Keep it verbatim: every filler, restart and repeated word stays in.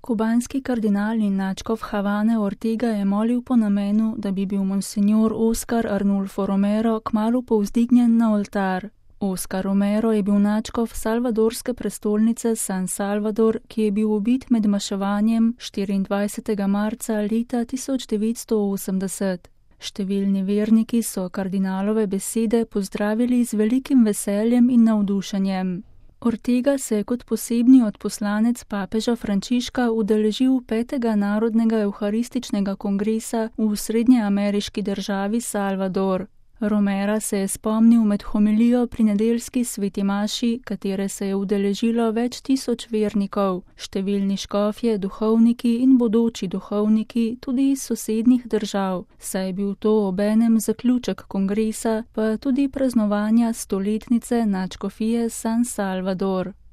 Kubanski kardinal in nadškof Havane Ortega je molil po namenu, da bi bil monsinjor Oscar Arnulfo Romero kmalu povzdignjen na oltar. Oscar Romero je bil nadškof salvadorske prestolnice San Salvador, ki je bil ubit med maševanjem štiriindvajsetega marca leta tisoč devetsto osemdeset. Številni verniki so kardinalove besede pozdravili z velikim veseljem in navdušenjem. Ortega se je kot posebni odposlanec papeža Frančiška udeležil petega narodnega evharističnega kongresa v srednjeameriški državi Salvador. Romera se je spomnil med homilijo pri nedeljski sveti maši, katere se je udeležilo več tisoč vernikov, številni škofje, duhovniki in bodoči duhovniki tudi iz sosednjih držav, saj je bil to obenem zaključek kongresa, pa tudi praznovanja stoletnice nadškofije San Salvador.